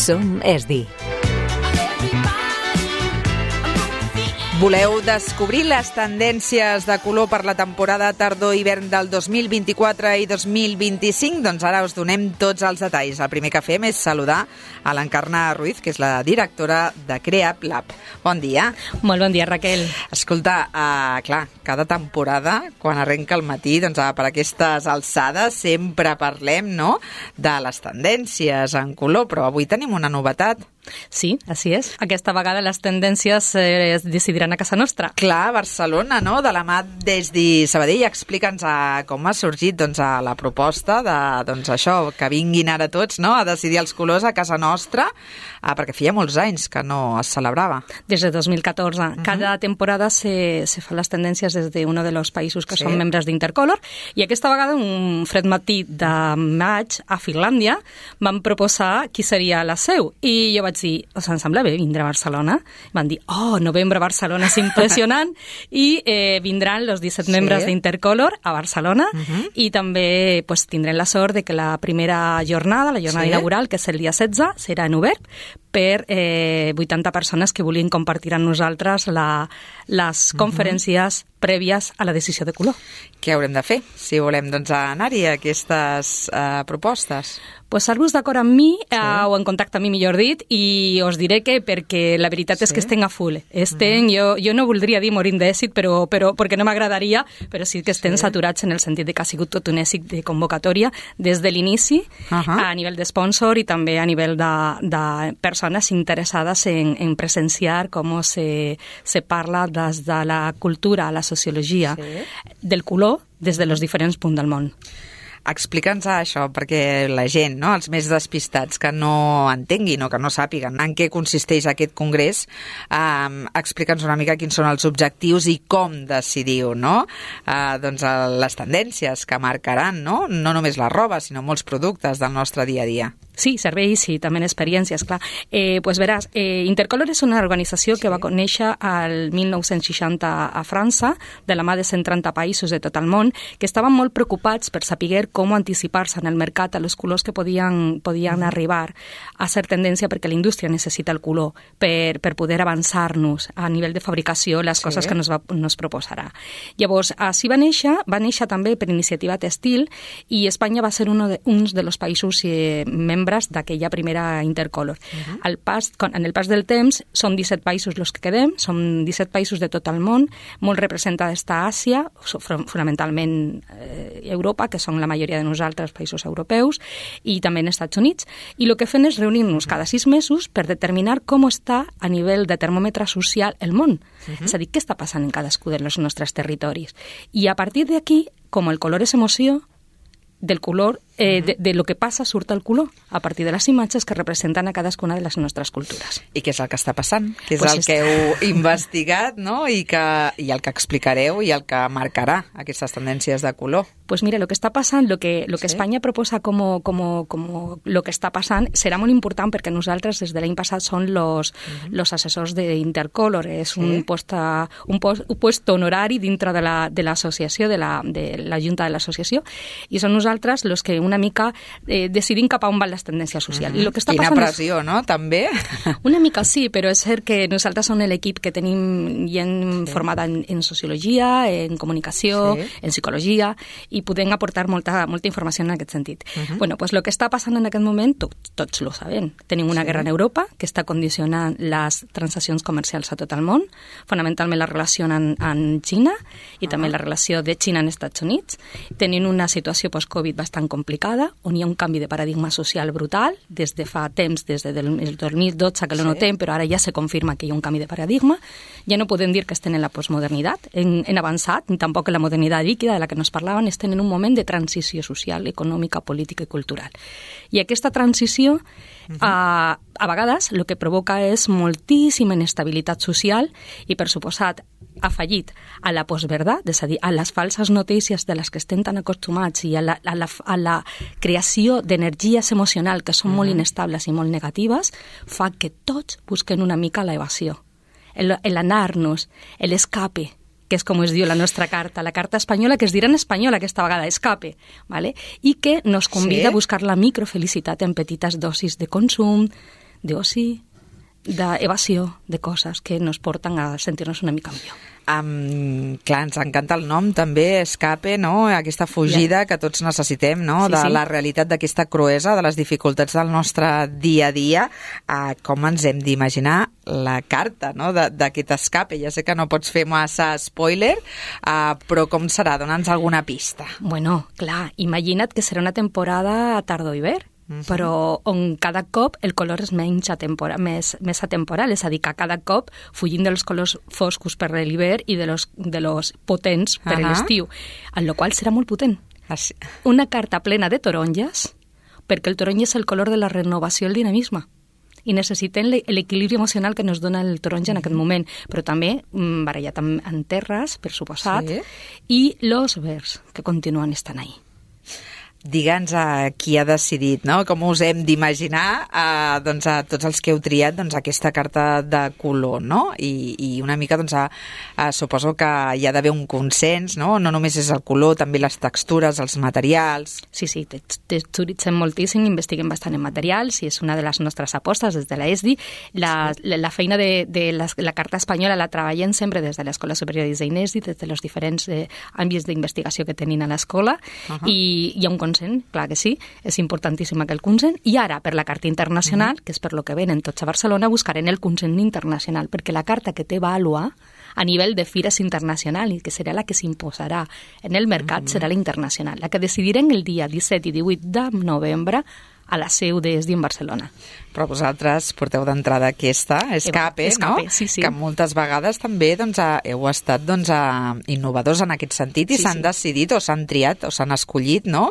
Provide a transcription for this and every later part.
Som ESDI. Voleu descobrir les tendències de color per la temporada tardor-hivern del 2024 i 2025? Doncs ara us donem tots els detalls. El primer que fem és saludar a l'Encarna Ruiz, que és la directora de Creap Lab. Bon dia. Molt bon dia, Raquel. Escolta, clar, cada temporada, quan arrenca el matí, doncs per aquestes alçades sempre parlem, no?, de les tendències en color, però avui tenim una novetat. Sí, així és. Aquesta vegada les tendències es decidiran a casa nostra. Clar, Barcelona, no?, de la mà d'ESDI Sabadell. Explica'ns com ha sorgit la proposta de, això, que vinguin ara tots, no?, a decidir els colors a casa nostra, perquè feia molts anys que no es celebrava. Des de 2014. Cada temporada se fa les tendències des d'un dels països que són membres d'Intercolor, i aquesta vegada, un fred matí de maig, a Finlàndia, van proposar qui seria la seu. I jo vaig dir, em sembla bé vindre a Barcelona? Van dir, novembre a Barcelona és impressionant, i vindran els 17 membres d'Intercolor a Barcelona, i també tindrem la sort de que la primera jornada, la jornada inaugural, que és el dia 16, serà en obert per 80 persones que vulguin compartir amb nosaltres les conferències prèvies a la decisió de color. Què haurem de fer si volem anar-hi a aquestes propostes? Posar-vos d'acord amb mi, o en contacte amb mi, millor dit, i us diré que perquè la veritat és que estem a full. Jo no voldria dir morint d'èxit, però perquè no m'agradaria, però sí que estem saturats en el sentit que ha sigut tot un èxit de convocatòria des de l'inici, a nivell de sponsor i també a nivell de persones interessades en presenciar com se parla des de la cultura, la sociologia del color des de los diferents punts del món. Explica'ns això, perquè la gent, no?, els més despistats, que no entenguin o que no sàpiguen en què consisteix aquest congrés, explica'ns una mica quins són els objectius i com decidiu, no?, les tendències que marcaran, no només la roba, sinó molts productes del nostre dia a dia. Sí, serveis i també experiències, clar. Veràs, Intercolor és una organització que va néixer al 1960 a França, de la mà de 130 països de tot el món, que estaven molt preocupats per saber com anticipar-se en el mercat a els colors que podien arribar a ser tendència, perquè la indústria necessita el color per poder avançar-nos a nivell de fabricació les coses que nos proposarà. Llavors, així va néixer també per iniciativa Textil, i Espanya va ser un dels països membres d'aquella primera Intercolor. En el pas del temps, són 17 països els que quedem, són 17 països de tot el món, molt representada està Àsia, fonamentalment Europa, que són la majoria de nosaltres països europeus, i també en Estats Units, i el que fem és reunir-nos cada 6 mesos per determinar com està a nivell de termòmetre social el món. És a dir, què està passant en cadascú dels nostres territoris. I a partir d'aquí, com el color és emoció, del color, de lo que passa surt el color, a partir de les imatges que representen a cadascuna de les nostres cultures. I què és el que està passant? Què és el que heu investigat, no?, i el que explicareu i el que marcarà aquestes tendències de color? Pues mira, lo que està passant, lo que Espanya proposa com lo que està passant, serà molt important perquè nosaltres des de l'any passat som los assessors d'Intercolor. És un puesto honorari dintre de l'associació, de la junta de l'associació, i són nosaltres los que una mica decidim cap a on van les tendències socials. I lo que està Quina pressió, no?, també? Una mica sí, però és cert que nosaltres som l'equip que tenim gent formada en sociologia, en comunicació, en psicologia, i podem aportar molta informació en aquest sentit. Bueno, pues lo que està passant en aquest moment, tots lo sabem. Tenim una guerra en Europa que està condicionant les transaccions comercials a tot el món, fonamentalment la relació amb Xina i també la relació de Xina amb Estats Units. Tenim una situació post-Covid bastant complicada, on hi ha un canvi de paradigma social brutal, des de fa temps, des del 2012 que lo notem, però ara ja se confirma que hi ha un canvi de paradigma. Ja no podem dir que estem en la postmodernitat, en avançat, ni tampoc en la modernitat líquida de la que nos parlaven, estem en un moment de transició social, econòmica, política i cultural. I aquesta transició, a vegades, el que provoca és moltíssima inestabilitat social i, per suposat, afegit a la postverdat, és a dir, a les falses notícies de les que estem tan acostumats i a la creació d'energies emocionals que són molt inestables i molt negatives, fa que tots busquen una mica l'evasió, l'anar-nos, l'escape, que és com es diu la nostra carta, la carta espanyola, que es dirà en espanyol aquesta vegada, escape, ¿vale? I que nos convida a buscar la microfelicitat en petites dosis de consum, d'oci, d'evasió de coses que ens porten a sentir-nos una mica millor. Clar, ens encanta el nom també, escape, no? Aquesta fugida que tots necessitem, no? De la realitat d'aquesta cruesa, de les dificultats del nostre dia a dia, com ens hem d'imaginar la carta, no? D'aquest escape. Ja sé que no pots fer massa spoiler, però com serà? Dona'ns alguna pista. Bueno, clar, imagina't que serà una temporada a tardor-hivern, però on cada cop el color és més atemporal, és a dir, que cada cop fugim dels colors foscos per l'hivern i de los potents per l'estiu, en la qual serà molt potent. Una carta plena de taronges, perquè el taronja és el color de la renovació i el dinamisme, i necessitem l'equilibri emocional que ens dona el taronja en aquest moment, però també barallat amb terres, per suposat, i los verds, que continuen estant ahí. Digue'ns qui ha decidit, no? Com us hem d'imaginar a tots els que heu triat aquesta carta de color, no? I una mica suposo que hi ha d'haver un consens, no? No només és el color, també les textures, els materials... Sí, texturitzem moltíssim, investiguem bastant en materials i és una de les nostres apostes des de la ESDI. La feina de la carta espanyola la treballem sempre des de l'Escola Superior de Disseny ESDI, des dels diferents àmbits d'investigació que tenim a l'escola, i hi ha un consens, clar que sí, és importantíssim aquell consens, i ara per la carta internacional, que és per lo que venen tots a Barcelona, buscarem el consens internacional, perquè la carta que té vàlua a nivell de fires internacional i que serà la que s'imposarà en el mercat serà la internacional, la que decidirem el dia 17 i 18 de novembre a la seu d'ESDI en Barcelona. Però vosaltres porteu d'entrada aquesta, Escape, no? Sí. Que moltes vegades també heu estat innovadors en aquest sentit i s'han decidit o s'han triat o s'han escollit, no?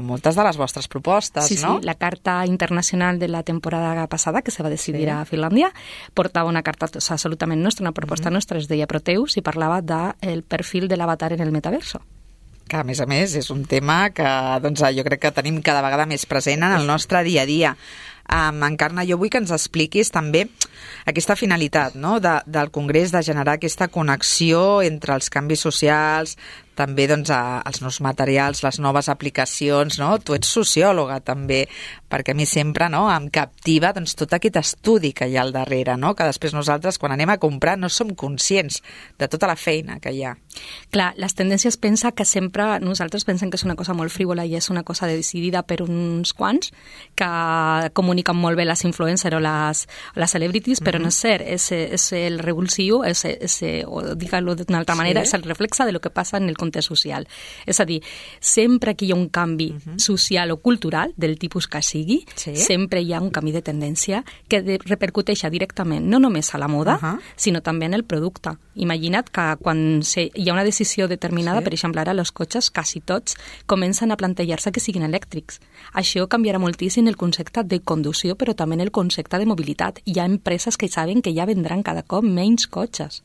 Moltes de les vostres propostes, no? Sí, la carta internacional de la temporada passada, que se va decidir a Finlàndia, portava una carta absolutament nostra, una proposta nostra, es deia Proteus, i parlava del perfil de l'avatar en el metaverso. Que, a més, és un tema que jo crec que tenim cada vegada més present en el nostre dia a dia. Encarna, jo vull que ens expliquis també aquesta finalitat, no? del Congrés, de generar aquesta connexió entre els canvis socials, també els nous materials, les noves aplicacions, no? Tu ets sociòloga també, perquè a mi sempre em captiva tot aquest estudi que hi ha al darrere, no? Que després nosaltres quan anem a comprar no som conscients de tota la feina que hi ha. Clar, les tendències pensa que sempre nosaltres pensem que és una cosa molt frívola i és una cosa decidida per uns quants que comuniquen molt bé les influencers o les celebrities, però no és cert, és el revulsiu, o digue-lo d'una altra manera, és el reflexe de lo que passa en el context social. És a dir, sempre que hi ha un canvi social o cultural, del tipus que sigui, sempre hi ha un canvi de tendència que repercuteix directament no només a la moda, sinó també en el producte. Imagina't que quan hi ha una decisió determinada, per exemple, ara els cotxes, quasi tots, comencen a plantejar-se que siguin elèctrics. Això canviarà moltíssim el concepte de conducció, però també el concepte de mobilitat. Hi ha empreses que saben que ja vendran cada cop menys cotxes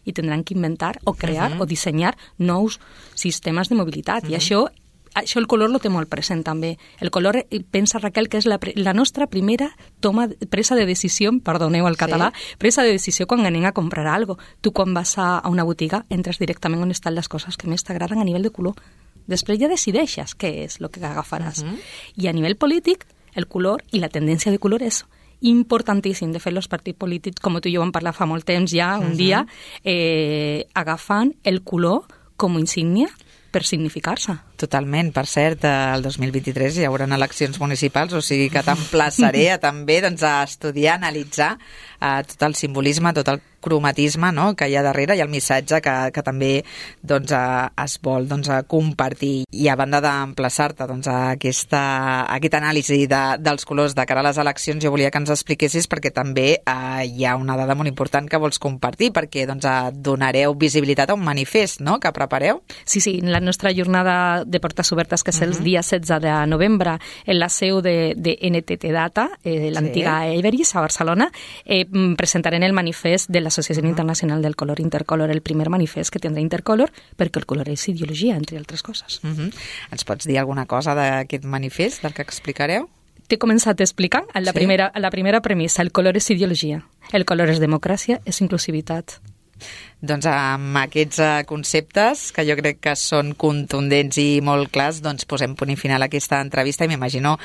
i tindran que inventar o crear o dissenyar nous sistemes de mobilitat. I això el color lo té molt present també. El color, pensa Raquel, que és la nostra primera presa de decisió, perdoneu el català, presa de decisió quan anem a comprar alguna cosa. Tu quan vas a una botiga entres directament on estan les coses que més t'agraden a nivell de color. Després ja decideixes què és el que agafaràs. I a nivell polític, el color i la tendència de color és importantíssim. De fet, els partits polítics, com tu i jo vam parlar fa molt temps ja, un dia, agafant el color com a insígnia per significar-se. Totalment. Per cert, el 2023 hi haurà eleccions municipals, o sigui que t'emplaçaré també a estudiar, analitzar tot el simbolisme, tot el cromatisme, no?, que hi ha darrere i el missatge que també es vol compartir. I a banda d'emplaçar-te a aquesta anàlisi dels colors de cara a les eleccions, jo volia que ens expliquessis perquè també hi ha una dada molt important que vols compartir, perquè donareu visibilitat a un manifest, no?, que prepareu. Sí, la nostra jornada de portes obertes, que és el dia 16 de novembre, en la seu de NTT Data, l'antiga Everis, a Barcelona, presentarem el manifest de l'Associació Internacional del Color, Intercolor, el primer manifest que tindrà Intercolor, perquè el color és ideologia, entre altres coses. Ens pots dir alguna cosa d'aquest manifest, del que explicareu? T'he començat explicant la primera premissa. El color és ideologia. El color és democràcia, és inclusivitat. Doncs amb aquests conceptes, que jo crec que són contundents i molt clars, doncs posem punt i final a aquesta entrevista i m'imagino,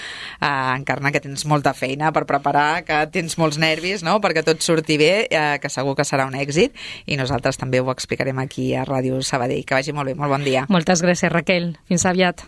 Encarna, que tens molta feina per preparar, que tens molts nervis, no?, perquè tot surti bé, que segur que serà un èxit, i nosaltres també ho explicarem aquí a Ràdio Sabadell. Que vagi molt bé, molt bon dia. Moltes gràcies, Raquel. Fins aviat.